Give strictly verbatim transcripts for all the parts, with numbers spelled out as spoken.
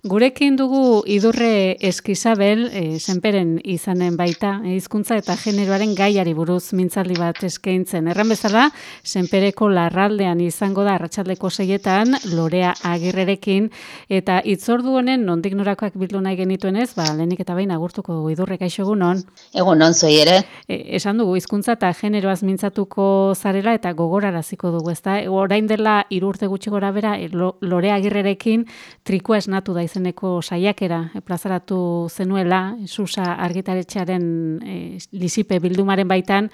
Gurekin dugu Idurre Eskizabel, e, senperen izanen baita, e, hizkuntza eta generoaren gaiari buruz mintzaldi bat eskaintzen. Erran bezala, senpereko larraldean izango da arratsaldeko seietan, Lorea Agirrerekin, eta hitzordu honen nondik norakoak bildu nahi genituenez, ba, lehenik eta behin agurtuko dugu Idurre, kaixo egunon. Egunon zuei ere. E, esan dugu, hizkuntza eta generoaz mintzatuko zarela eta gogoraraziko dugu, ezta? Orain dela hiru urte gutxi gora bera, Lorea Agirrerekin trikua esnatu da izeneko saiakera e, plazaratu zenuela, Susa argitaletxearen e, lizipe bildumaren baitan,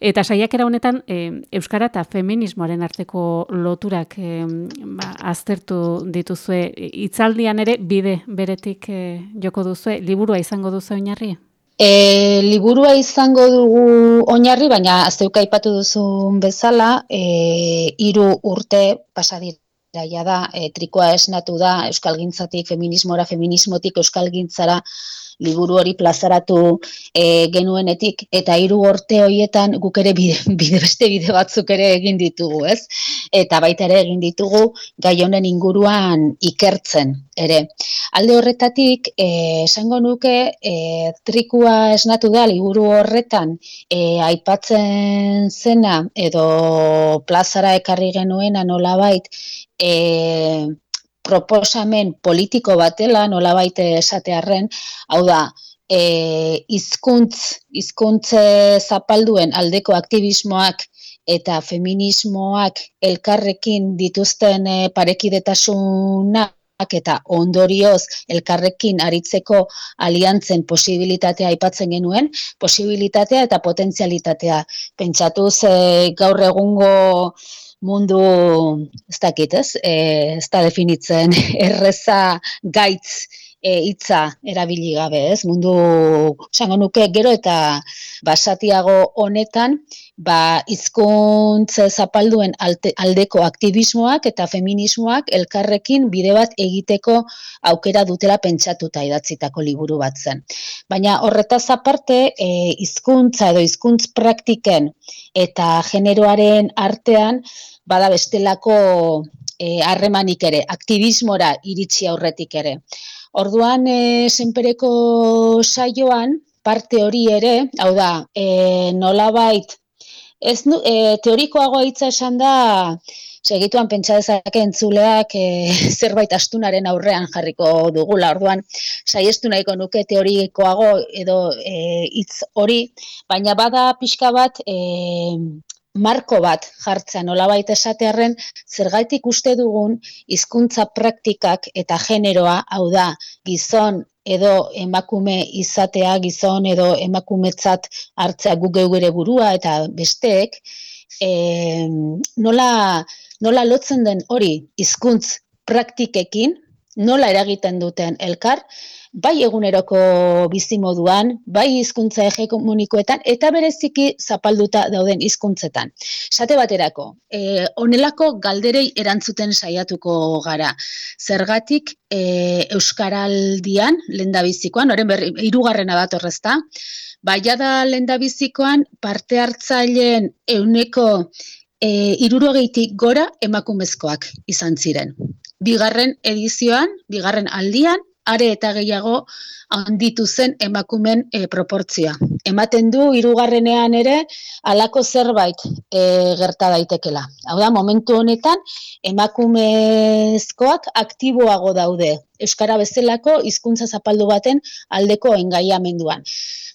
eta saiakera honetan e, euskara eta feminismoaren arteko loturak e, ba, aztertu dituzue. Hitzaldian ere bide beretik e, joko duzue, liburua izango duzu oinarri? E, liburua izango dugu oinarri, baina zeuk aipatu duzun bezala, e, hiru urte pasadira. Ja da, e, trikoa esnatu da euskalgintzatik feminismora, feminismotik euskalgintzara liburu hori plazaratu e, genuenetik, eta hiru urte horietan guk ere bide, bide beste bide batzuk ere egin ditugu, ez? Eta baita ere egin ditugu gai honen inguruan ikertzen ere. Alde horretatik, e, esango nuke, e, trikua esnatu da liburu horretan e, aipatzen zena edo plazara ekarri genuena nolabait, E, proposamen politiko batela, nolabait esatearren, hau da, e, hizkuntz, hizkuntze zapalduen aldeko aktivismoak eta feminismoak elkarrekin dituzten e, parekidetasunak eta ondorioz elkarrekin aritzeko aliantzen posibilitatea aipatzen genuen, posibilitatea eta potentzialitatea. Pentsatuz e, gaur egungo mundu, ez dakit, ez, e, ez da definitzen erreza gaitz e, hitza erabili gabe, ez, mundu, esango nuke, gero eta basatiago honetan, ba, hizkuntza zapalduen alte, aldeko aktivismoak eta feminismoak elkarrekin bide bat egiteko aukera dutela pentsatuta idatzitako liburu bat zen. Baina horretaz aparte, e, hizkuntza edo hizkuntz praktiken eta generoaren artean, bada bestelako harremanik e, ere, aktivismora iritsi aurretik ere. Orduan, e, senpereko saioan, parte hori ere, hau da, e, nolabait, ez nu, e, teorikoagoa hitza esan da, segituan pentsa dezake entzuleak e, zerbait astunaren aurrean jarriko dugula, orduan, saiestu nahiko nuke teorikoago edo hitz e, hori, baina bada pixka bat, e, marko bat jartzea nolabait esatearren, zergaitik uste dugun hizkuntza praktikak eta generoa, hau da, gizon edo emakume izatea, gizon edo emakumetzat hartzea guk geu ere burua eta besteek, e, nola, nola lotzen den hori hizkuntz praktikekin, nola eragiten duten elkar, bai eguneroko bizimoduan, bai hizkuntza hegemonikoetan, eta bereziki zapalduta dauden hizkuntzetan. Esate baterako, e, honelako galderei erantzuten saiatuko gara. Zergatik e, euskaraldian, lehendabizikoan, oren berri, hirugarrena datorrezta, baia da lehendabizikoan parte hartzaileen ehuneko e, hirurogeitik gora emakumezkoak izan ziren. Bigarren edizioan, bigarren aldian, are eta gehiago handitu zen emakumen e, proportzioa. Ematen du hirugarrenean ere halako zerbait e, gerta daitekela. Hau da, momentu honetan emakumezkoak aktiboago daude euskara bezalako hizkuntza zapaldu baten aldeko engaiamenduan.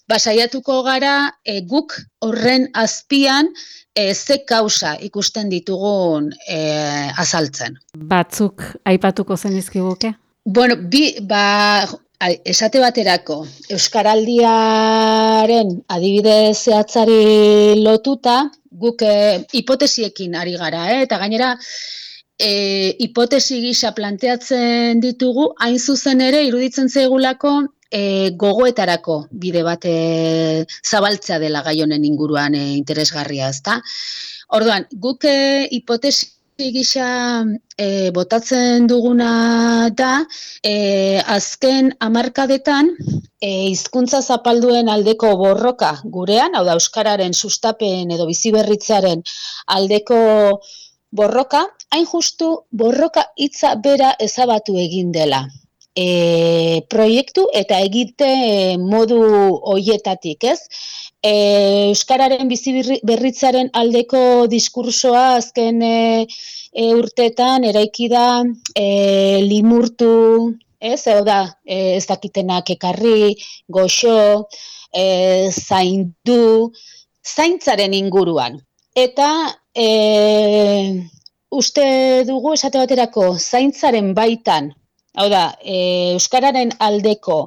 Ba, saiatuko gara e, guk horren azpian e, ze kausa ikusten ditugun e, azaltzen. Batzuk aipatuko zenizkiguke? Bueno, bi, ba, esate baterako, euskaraldiaren adibide zehatzari lotuta, guk e, hipotesiekin ari gara, eh? Eta gainera, e, hipotesi gisa planteatzen ditugu, hain zuzen ere, iruditzen zaigulako, e, gogoetarako bide bat e, zabaltzea dela gai honen inguruan e, interesgarria, ezta? Orduan, guk e, hipotesi gisa e, botatzen duguna da, e, azken hamarkadetan e, hizkuntza zapalduen aldeko borroka gurean, hau da euskararen sustapen edo biziberritzearen aldeko borroka, hain justu borroka hitza bera ezabatu egin dela. e, proiektu eta egite modu hoietatik, ez? E, Euskararen bizi berritzaren aldeko diskursoa azken e, e, urteetan eraiki da e, limurtu, ez? Hau da, e, ez dakitenak ekarri, goxo, e, zaindu, zaintzaren inguruan. Eta e, uste dugu esate baterako zaintzaren baitan, hau da, e, Euskararen aldeko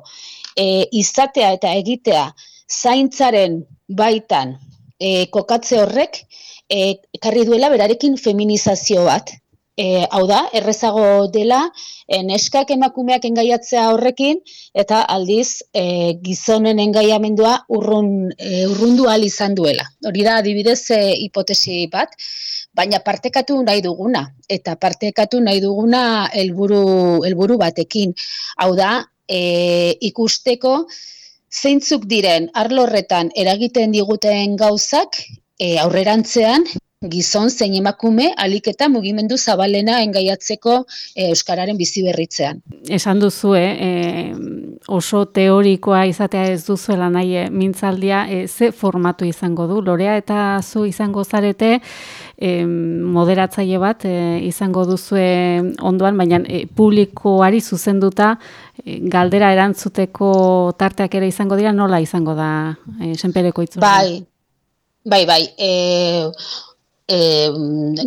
e, izatea eta egitea zaintzaren baitan e, kokatze horrek e, ekarri duela berarekin feminizazio bat. E, hau da, errezago dela e, neskak emakumeak engaiatzea horrekin eta aldiz e, gizonen engaiamendua urrun, e, urrundu ahal izan duela. Hori da adibidez e, hipotesi bat, baina partekatu nahi duguna eta partekatu nahi duguna helburu helburu batekin. Hau da, e, ikusteko zeintzuk diren arlo horretan eragiten diguten gauzak e, aurrerantzean gizon zein emakume ahalik eta mugimendu zabalena engaiatzeko e, Euskararen bizi berritzean. Esan duzu, eh, oso teorikoa izatea ez duzuela nahi e, mintzaldia, e, ze formatu izango du? Lorea eta zu izango zarete e, moderatzaile bat e, izango duzue ondoan, baina e, publikoari zuzenduta e, galdera erantzuteko tarteak ere izango dira, nola izango da e, Senpereko Itzordu? Bai, bai, bai, e, E,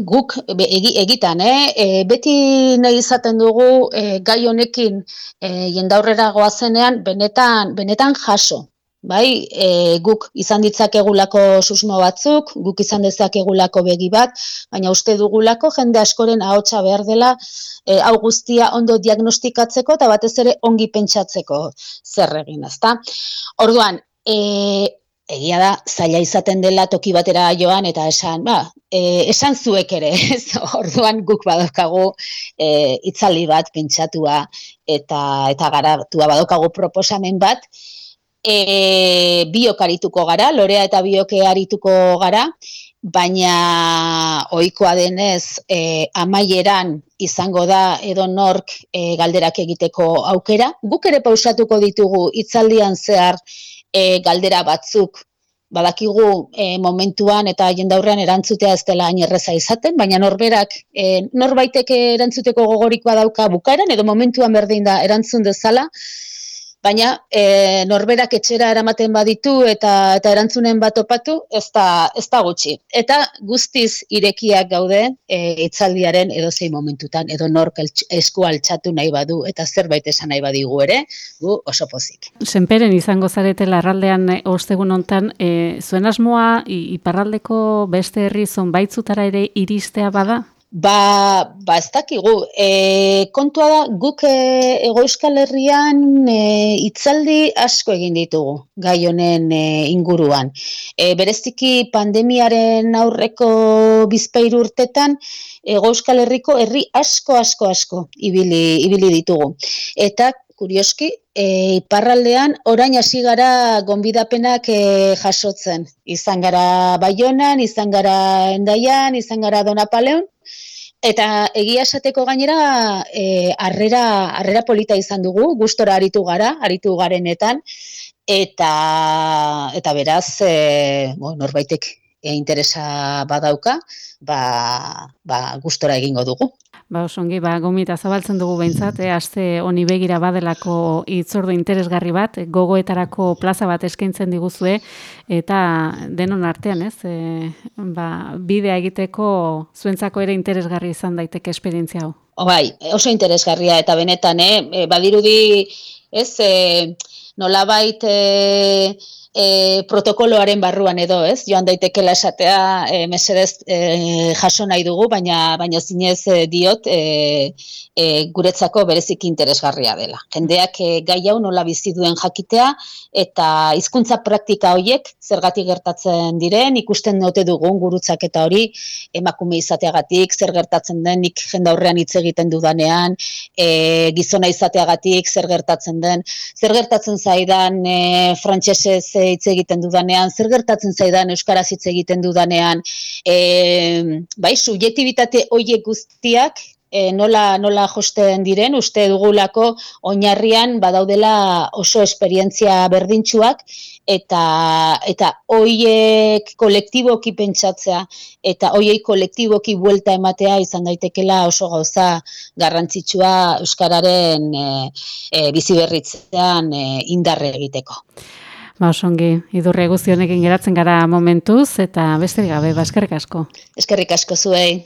guk egi, egitan, eh? e, beti nahi izaten dugu e, gai honekin e, jendaurrera goazenean benetan, benetan jaso. Bai, e, guk izan ditzakegulako susmo batzuk, guk izan dezakegulako begi bat, baina uste dugulako jende askoren ahotsa behar dela e, hau guztia ondo diagnostikatzeko eta batez ere ongi pentsatzeko zer egin, ezta? Orduan, e, egia da, zaila izaten dela toki batera joan eta esan, ba, e, esan zuek ere, ez? Orduan guk badaukagu e, itzaldi bat pentsatua eta eta garatua badaukagu proposamen bat, e, biok arituko gara, Lorea eta biok arituko gara, baina ohikoa denez e, amaieran izango da edo nork e, galderak egiteko aukera. Guk ere pausatuko ditugu hitzaldian zehar E, galdera batzuk, badakigu e, momentuan eta jendaurrean erantzutea ez dela hain erreza izaten, baina norberak, e, norbaitek erantzuteko gogorik badauka bukaeran, edo momentuan berdin da erantzun dezala, baina e, norberak etxera eramaten baditu eta, eta erantzunen bat topatu, ez da, ez da gutxi. Eta guztiz irekiak gaude e, itzaldiaren edozein momentutan, edo nork esku altxatu nahi badu eta zerbait esan nahi badigu ere, gu oso pozik. Senperen izango zarete larraldean ostegun hontan, e, zuen asmoa iparraldeko beste herri zonbaitzutara ere iristea bada? Ba, ba ez dakigu, e, kontua da guk e, Hego Euskal Herrian e, hitzaldi asko egin ditugu gai honen e, inguruan. E, bereziki pandemiaren aurreko bizpahiru urtetan Hego Euskal Herriko herri asko asko asko ibili, ibili ditugu. Eta kurioski, e, iparraldean orain hasi gara gonbidapenak e, jasotzen. Izan gara Baionan, izan gara Hendaian, izan gara Donapaleon, eta egia esateko gainera e, harrera, harrera polita izan dugu, gustora aritu gara, aritu garenetan, eta, eta beraz, e, bo, norbaitek e, interesa badauka, ba, ba, gustora egingo dugu. Ba, osongi, ba, gomita zabaltzen dugu behintzat, eh, aste honi begira badelako hitzordu interesgarri bat, gogoetarako plaza bat eskaintzen diguzue, eta denon artean, ez? E, ba, bidea egiteko zuentzako ere interesgarri izan daiteke esperientzia hau. Bai, oso interesgarria eta benetan, eh, badirudi, ez, e, nolabait e, e, protokoloaren barruan edo, ez? Joan daitekela esatea e, mesedez e, jaso nahi dugu, baina baina zinez e, diot e, e, guretzako bereziki interesgarria dela. Jendeak e, gai hau nola bizi duen jakitea eta hizkuntza praktika horiek zergatik gertatzen diren, ikusten note dugun gurutzaketa hori emakume izateagatik, zer gertatzen den nik jendaurrean hitz egiten dudanean, e, gizona izateagatik, zer gertatzen den, zer gertatzen zaidan e, frantsesez hitz egiten dudanean, zer gertatzen zaidan euskaraz hitz egiten dudanean, e, bai, subjektibitate horiek guztiak e, nola, nola josten diren, uste dugulako oinarrian badaudela oso esperientzia berdintsuak, eta eta hoiek kolektiboki pentsatzea eta hoiei kolektiboki buelta ematea izan daitekela oso gauza garrantzitsua euskararen e, e, biziberritzean e, indarre egiteko. Ba, osongi, idurre guzti honekin geratzen gara momentuz eta besterik gabe, ba, eskerrik asko. Eskerrik asko zuei.